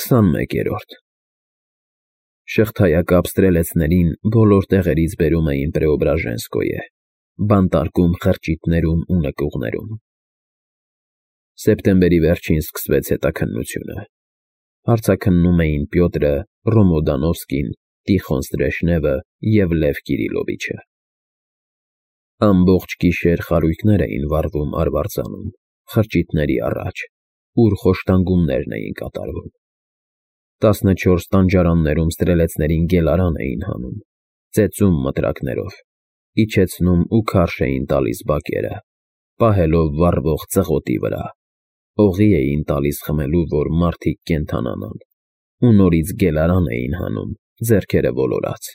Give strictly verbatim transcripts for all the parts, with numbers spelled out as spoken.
Քսանմեկերորդ Շղթայակապ ստրելեցներին բոլոր տեղերից բերում էին Պրեոբրաժենսկոյե, բանտարկում խրճիթներում ու նկուղներում։ Սեպտեմբերի վերջին սկսվեց հետաքննությունը։ Հարցաքննում էին Պյոտրը, Ռոմոդանովսկին, Տիխոն Ստրեժնևը և Լև Կիրիլովիչը։ Ամբողջ գիշեր խարույկներ էին վառվում արվարձանում, խրճիթների առաջ, ուր խոշտանգումներն էին կատարվում։ Տասնչորս տանջարաններում ստրելեցներին գելարան էին հանում, ծեծում մտրակներով, իջեցնում ու քարշ էին տալիս բակերը, պահելով վառվող ծղոտի վրա, օղի էին տալիս խմելու, որ մարդիկ կենդանանան, ու նորից գելարան էին հանում, ձեռքերը ոլորած,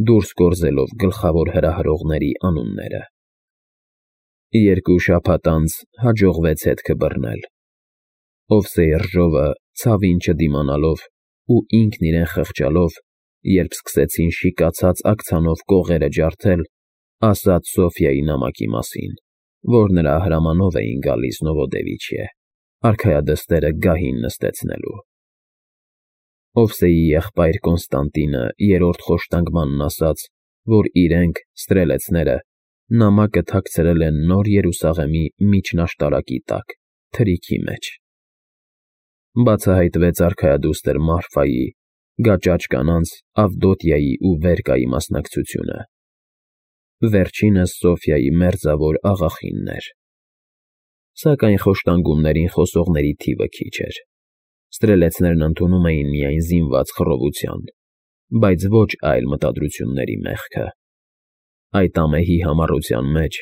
դուրս գործելով գլխավոր հրահրողների անունները։ Երկու շաբաթ անց հաջողվեց հետքը բռնել։ Օվսեյ Ռժովը, ցավին չդիմանալով ու ինքն իրեն խղճալով, երբ սկսեցին շիկացած աքցանով կողերը ջարդել, ասաց Սոֆյայի նամակի մասին, որ նրա հրամանով էին գալիս Նովոդևիչիե, արքայադստերը գահին նստեցնելու։ Օվսեյի եղբայր Կոնստանտինը երրորդ խոշտանգմանն ասաց, որ իրենք, ստրելեցները, նամակը թաքցրել են Նոր Երուսաղեմի միջնաշտարակի տակ, թրիքի մեջ։ Բացահայտվեց արքայադուստր Մարֆայի, գաճաճ կանանց Ավդոտյայի ու Վերկայի մասնակցությունը։ Վերջինս Սոֆյայի մերձավոր աղախինն էր։ Սակայն խոշտանգումներին խոսողների թիվը քիչ էր։ Ստրելեցներն ընդունում էին միայն զինված խռովության, բայց ոչ այլ մտադրությունների մեղքը։ Այդ ամեհի համառության մեջ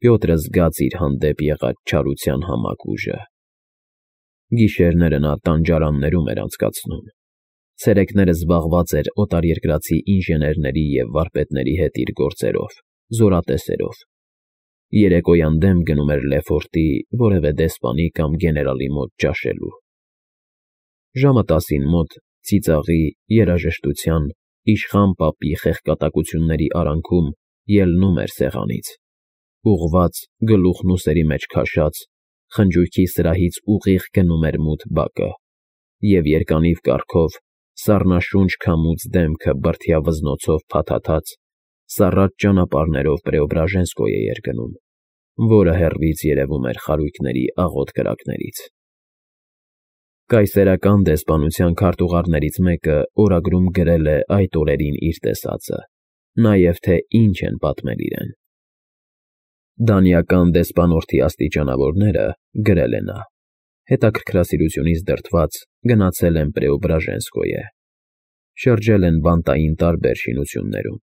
Պյոտրը զգաց իր հանդեպ եղած չարության համակ ուժը։ Գիշերները նա տանջարաններում էր անցկացնում, ցերեկները զբաղված էր օտարերկրացի ինժեներների և վարպետների հետ իր գործերով, զորատեսերով, երեկոյան դեմ գնում էր Լեֆորտի որևէ դեսպանի կամ գեներալի մոտ ճաշելու։ Ժամը տասին մոտ ծիծաղի, երաժշտության, իշխան պապի խեղկատակությունների արանքում ելնում էր սեղանից, ուղղված, գլուխն ուսերի մեջ քաշած, խնջույքի սրահից ուղիղ գնում էր մութ բակը, և երկանիվ կառքով, սառնաշունչ քամուց դեմքը բրդյա վզնոցով փաթաթած, սառած ճանապարհներով Պրեոբրաժենսկոյե էր գնում, որը հեռվից երևում էր խարույկների աղոտ կրակներից։ Կայսերական դեսպանության քարտուղարներից մեկը օրագրում գրել է այդ օրերին իր տեսածը, նաև թե ինչ են պատմել իրեն։ Դանիական դեսպանորդի աստիճանավորները, գրել է նա, հետաքրքրասիրությունից դրդված գնացել են Պրեոբրաժենսկոյե, շրջել են բանտային տարբեր շինություններում,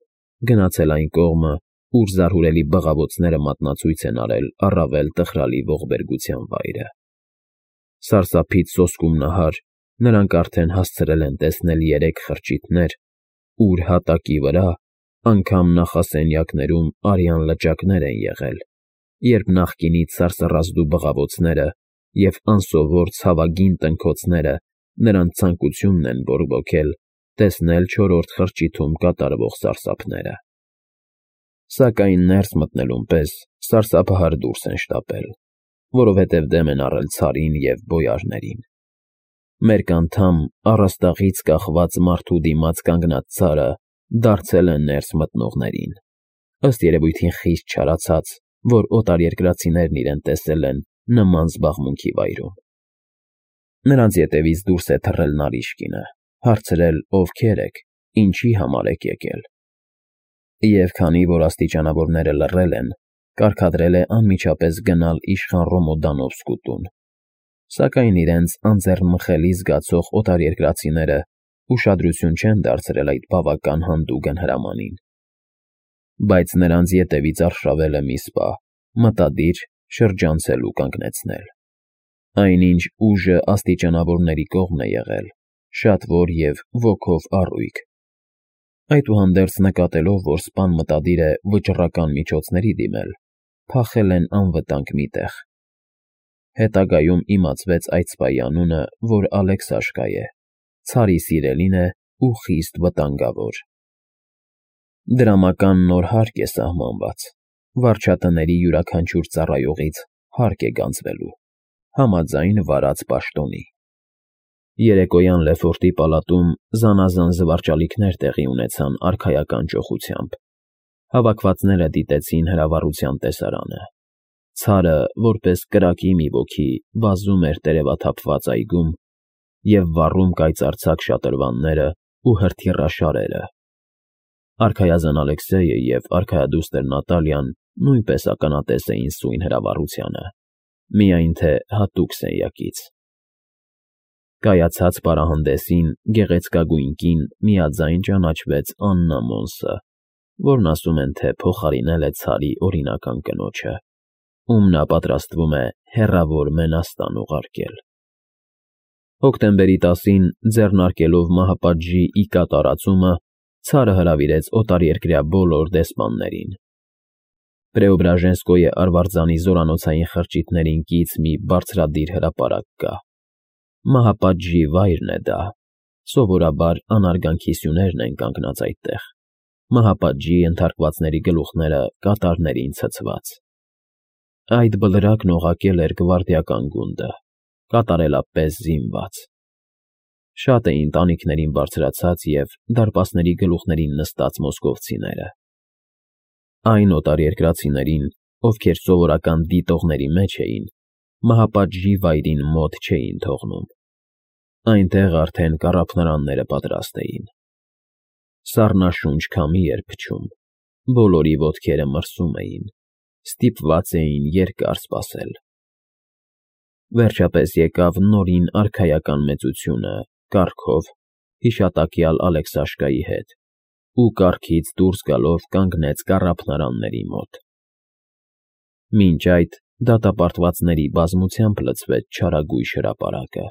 գնացել այն կողմը, ուր զարհուրելի բղավոցները մատնացույց են արել առավել տխրալի ողբերգության վայրը։ Սարսափից սոսկում նահար, նրանք արդեն հասցրել են տեսնել երեք խրճիթներ, ուր հատակի վրա, անգամ նախասենյակներում արյան լճակներ են եղել, երբ նախկինից սարսռազդու բղավոցները և անսովոր ցավագին տնքոցները նրանց ցանկությունն են բորբոքել տեսնել չորրորդ խրճիթում կատարվող սարսափները։ Սակայն ներս մտնելուն պես սարսափահար դուրս են շտապել, որովհետև դեմ են առել ցարին և բոյարներին։ Մերկ անդամ առաստաղից կախված մարդու դիմաց կանգնած ցարը դարձել է ներս մտնողներին, ըստ երևույթին խիստ չարացած, որ օտարերկրացիներն իրեն տեսել են նման զբաղմունքի վայրում։ Նրանց ետևից դուրս է թռել Նարիշկինը, հարցրել ովքեր եք, ինչի համար եք եկել։ Եվ քանի որ աստիճանավորները լռել են, կարգադրել է անմիջապես գնալ իշխան Ռոմոդանովսկու տուն, սակայն իրենց անձեռնմխելի զգացող օտարերկրացիները ուշադրություն չեն դարձրել այդ բավական հանդուգն հրամանին։ Բայց նրանց ետևից արշավել է մի սպա, մտադիր շրջանցել ու կանգնեցնել։ Այնինչ ուժը աստիճանավորների կողմն է եղել, շատվոր և ոգով առույգ։ Այդուհանդերձ նկատելով, որ սպան մտադիր է վճռական միջոցների դիմել, փախել են անվտանգ մի տեղ։ Հետագայում իմացվեց այդ սպայի անունը, որ Ալեքսաշկա է, ցարի սիրելին է ու խիստ վտանգավոր։ Դրամական նոր հարկ է սահմանված, վարչատների յուրաքանչյուր ծառայողից հարկ է գանձվելու, համաձայն վարած պաշտոնի։ Երեկոյան Լեֆորտի պալատում զանազան զվարճալիքներ տեղի ունեցան արքայական ճոխությամբ։ Հավաքվածները դիտեցին հրավառության տեսարանը։ Ցարը, որպես կրակի մի ոգի, վազում էր տերևաթափված այգում և վառում կայծարձակ շատրվանները ու հրթիռաշարերը։ Արքայազն Ալեքսեյը և արքայադուստր Նատալիան նույնպես ականատես էին սույն հրավառությանը, միայն թե հատուկ սենյակից։ Կայացած պարահանդեսին գեղեցկագույն կին միաձայն ճանաչվեց Աննա Մոնսը, որն ասում են, թե փոխարինել է Ցարի օրինական կնոջը, ում նա պատրաստվում է հեռավոր Մենաստան ուղարկել։ Հոկտեմբերի տասին, ձեռնարկելով մահապատժի ի կատարածումը, Ցարը հրավիրեց օտարերկրյա բոլոր դեսպաններին։ Պրեոբրաժենսկոյե արվարձանի զորանոցային խրճիթներին կից մի բարձրադիր հրապարակ կա։ Մահապատժի վայրն է դա, սովորաբար անարգանքի սյուներն են կանգնած այդտեղ, մահապատժի ենթարկվածների գլուխները կատարներին ցցված։ Այդ բլրակն օղակել էր գվարդիական գունդը, կատարելապես զինված։ Շատ էին տանիքներին բարձրացած և դարպասների գլուխներին նստած մոսկովցիները։ Այն օտարերկրացիներին, ովքեր սովորական դիտողների մեջ էին, մահապատժի վայրին մոտ չէին թողնում։ Այնտեղ արդեն կառափնարանները պատրաստ էին։ Սառնաշունչ քամի էր փչում, բոլորի ոտքերը մրսում էին, ստիպված էին երկար սպասել։ Վերջապես եկավ նորին արքայական մեծությունը կառքով, հիշատակյալ Ալեքսաշկայի հետ, ու կառքից դուրս գալով կանգնեց կառափնարանների մոտ։ Մինչ այդ դատապարտվածների բազմությամբ լցվեց չարագույժ հրապարակը։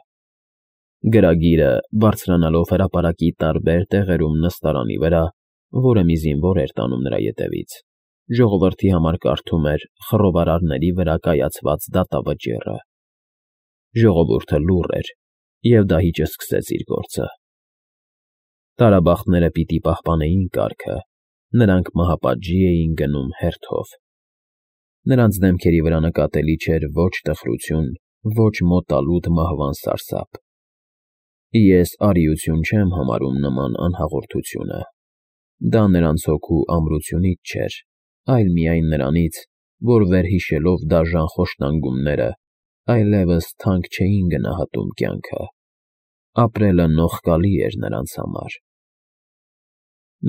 Գրագիրը, բարձրանալով հրապարակի տարբեր տեղերում նստարանի վրա, որը մի զինվոր էր տանում նրա ետևից, ժողովրդի համար կարդում էր խռովարարների վրա կայացված դատավճիռը։ Ժողովուրդը լուռ էր, և դահիճը սկսեց իր գործը։ Տարաբախտները պիտի պահպանեին կարգը, նրանք մահապատժի էին գնում հերթով։ Նրանց դեմքերի վրա նկատելի չէր ոչ տխրություն, ոչ մոտալուտ մահվան սարսափ։ Ես արիություն չեմ համարում նման անհաղորդությունը։ Դա նրանց հոգու ամրությունից չէր, այլ միայն նրանից, որ վերհիշելով դաժան խոշտանգումները, այլևս թանկ չէին գնահատում կյանքը։ Ապրելը նողկալի էր նրանց համար։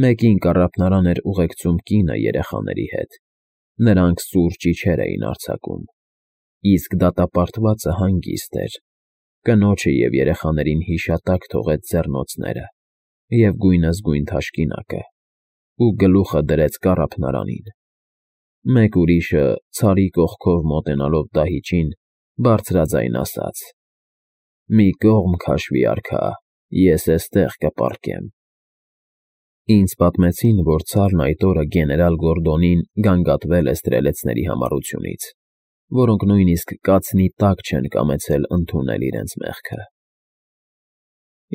Մեկին կառափնարան էր ուղեկցում կինը երեխաների հետ։ Նրանք սուր ճիչեր էին արձակում։ Իսկ դատապարտվածը հանգիստ էր։ Կնոջը և երեխաներին հիշատակ թողեց ձեռնոցները և գույնզգույն թաշկինակը ու գլուխը դրեց կառափնարանին։ Մեկ ուրիշը, Ցարի կողքով մոտենալով դահիճին, բարձրաձայն ասաց. «Մի կողմ քաշվի, արքա, ես էստեղ կպառկեմ»։ Ինձ պատմեցին, որ Ցարն այդ օրը գեներալ Գորդոնին գանգատվել է ստրելեցների համառությունից, որոնք նույնիսկ կացնի տակ չեն կամեցել ընդունել իրենց մեղքը։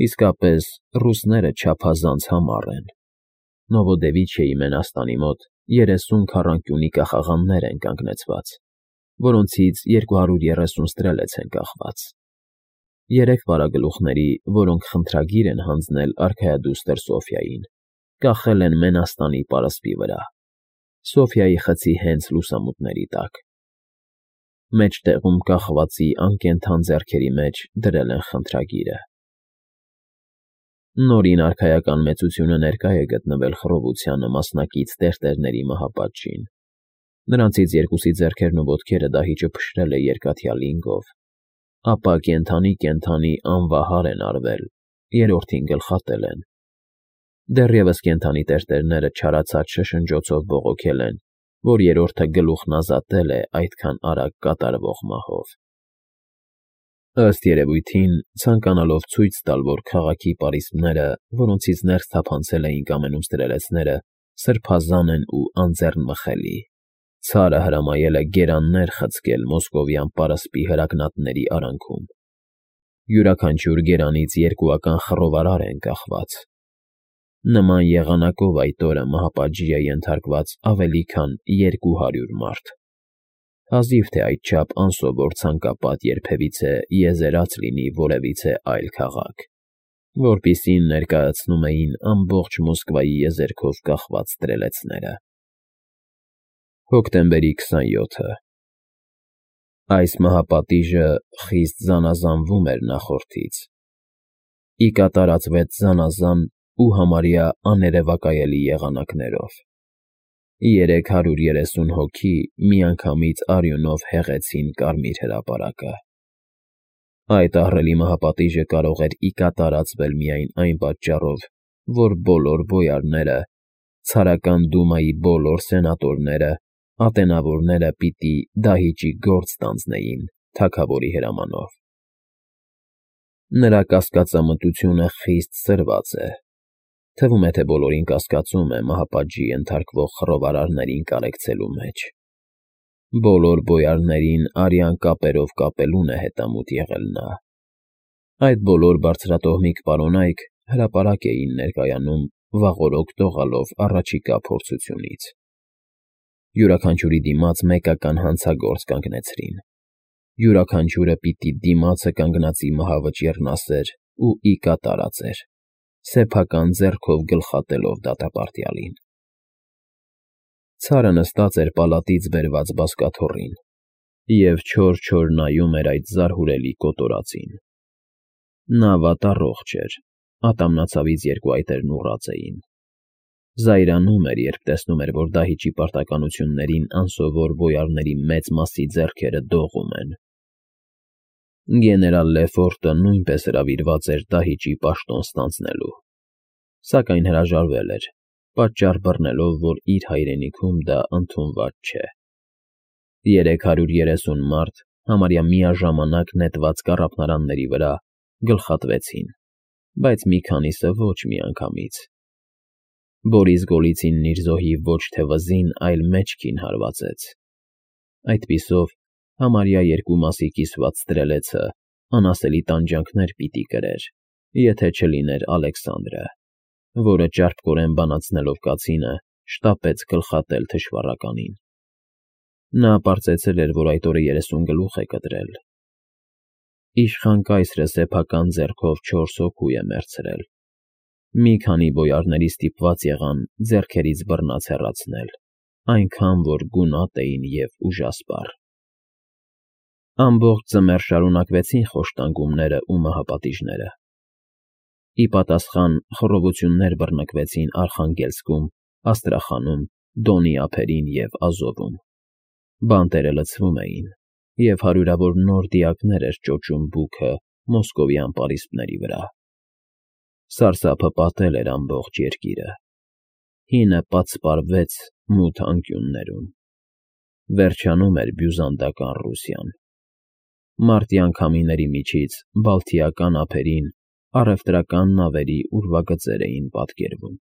Իսկապես, ռուսները չափազանց համառ են։ Նովոդևիչիեի Մենաստանի մոտ երեսուն քառանկյունի կախաղաններ են կանգնեցված, որոնցից երկու հարյուր երեսուն ստրելեց են կախված։ Երեք վարագլուխների, որոնք խնդրագիր են հանձնել արքայադուստր Սոֆյային, կախել են Մենաստանի պարսպի վրա, Սոֆյայի խցի հենց լուսամուտների տակ։ Մեջտեղում կախվածի անկենդան ձեռքերի մեջ դրել են խնդրագիրը։ Նորին արքայական մեծությունը ներկա է գտնվել խռովությանը մասնակից տերտերների մահապատժին։ Նրանցից երկուսի ձեռքերն ու ոտքերը դահիճը փշրել է երկաթյա լինգով, ապա կենդանի֊կենդանի անվահար են արվել, երրորդին գլխատել են։ Դեռևս կենդանի տերտերները չարացած շշնջոցով բողոքել են, որ երրորդը գլուխն ազատել է այդքան արագ կատարվող մահով։ Ըստ երևույթին, ցանկանալով ցույց տալ, որ քաղաքի պարիսպները, որոնցից ներս թափանցել էին կամենում ստրելեցները, սրբազան են ու անձեռնմխելի, Ցարը հրամայել է գերաններ խցկել մոսկովյան պարսպի հրագնատների արանքում։ Յուրաքանչյուր գերանից երկուական խռովարար են կախված։ Նման եղանակով այդ օրը մահապատժի է ենթարկված ավելի քան երկու հարյուր մարդ։ Հազիվ թե այդչափ անսովոր ցանկապատ երբևիցե եզերած լինի որևիցե այլ քաղաք, որպիսին ներկայացնում էին ամբողջ Մոսկվայի եզերքով կախված տրելեցները։ Հոկտեմբերի քսանյոթը Այս մահապատիժը խիստ զանազանվում էր նախորդից։ Ի կատարածվեց զանազան ու համարյա աներևակայելի եղանակներով։ Երեք հարյուր երեսուն հոգի միանգամից արյունով հեղեցին Կարմիր հրապարակը։ Այդ ահռելի մահապատիժը կարող էր ի կատարածվել միայն այն պատճառով, որ բոլոր բոյարները, ցարական դումայի բոլոր սենատորները, ատենավորները պիտի դահիճի գործ ստանձնեին թագավորի հրամանով։ Նրա կասկածամտությունը խիստ սրված է։ Թվում է, թե բոլորին կասկածում է մահապատժի ենթարկվող խռովարարներին կարեկցելու մեջ։ Բոլոր բոյարներին արյան կապերով կապելուն է հետամուտ եղել նա։ Այդ բոլոր բարձրատոհմիկ պարոնայք հրապարակ էին ներկայանում վաղօրոք տողալով առաջիկա փորձությունից։ Յուրաքանչյուրի դիմաց մեկական հանցագործ կանգնեցրին։ Յուրաքանչյուրը պիտի դիմացը կանգնածի մահավճիռն ասեր ու ի կատարածեր, սեփական ձեռքով գլխատելով դատապարտյալին։ Ցարը նստած էր պալատից բերված բազկաթոռին և չոր-չոր նայում էր այդ զարհուրելի կոտորածին։ Նա վատառողջ էր, ատամնացավից երկու այտերն ուռած էին։ Զայրանում էր, երբ տեսնում էր, որ դահիճի պարտականություններին անսովոր բոյարների մեծ մասի ձեռքերը դողում են։ Գեներալ Լեֆորտը նույնպես հրավիրված էր դահիճի պաշտոն ստանձնելու, սակայն հրաժարվել էր, պատճառ բռնելով, որ իր հայրենիքում դա ընդունված չէ։ Երեք հարյուր երեսուն մարդ համարյա միաժամանակ նետված կառափնարանների վրա գլխատվեցին, բայց մի քանիսը ոչ միանգամից։ Բորիս Գոլիցինն իր զոհի ոչ թե վզին, այլ մեջքին հարվածեց։ Այդպիսով համարյա երկու մասի կիսված տրելեցը անասելի տանջանքներ պիտի կրեր, եթե չլիներ Ալեքսանդրը, որը ճարպկորեն բանացնելով կացինը, շտապեց գլխատել թշվառականին։ Նա պարծեցել էր, որ այդ օրը երեսուն գլուխ է կտրել։ Իշխան կայսրը սեփական ձեռքով չորս հոգու է մեռցրել։ Մի քանի բոյարների ստիպված եղան ձեռքերից բռնած հեռացնել, այնքան որ գունատ էին և ուժասպառ։ Ամբողջ ձմեռ շարունակվեցին խոշտանգումները ու մահապատիժները։ Ի պատասխան խռովություններ բռնկվեցին Արխանգելսկում, Աստրախանում, Դոնի ափերին և Ազովում։ Բանտերը լցվում էին, և հարյուրավոր նոր դիակներ էր ճոճում բուքը մոսկովյան պարիսպների վրա։ Սարսափը պատել էր ամբողջ երկիրը։ Հինը պատսպարվեց մութ անկյուններում։ Վերջանում էր բյուզանդական Ռուսիան։ Մարտյան քամիների միջից Բալթիական ափերին առևտրական նավերի ուրվագծեր էին պատկերվում։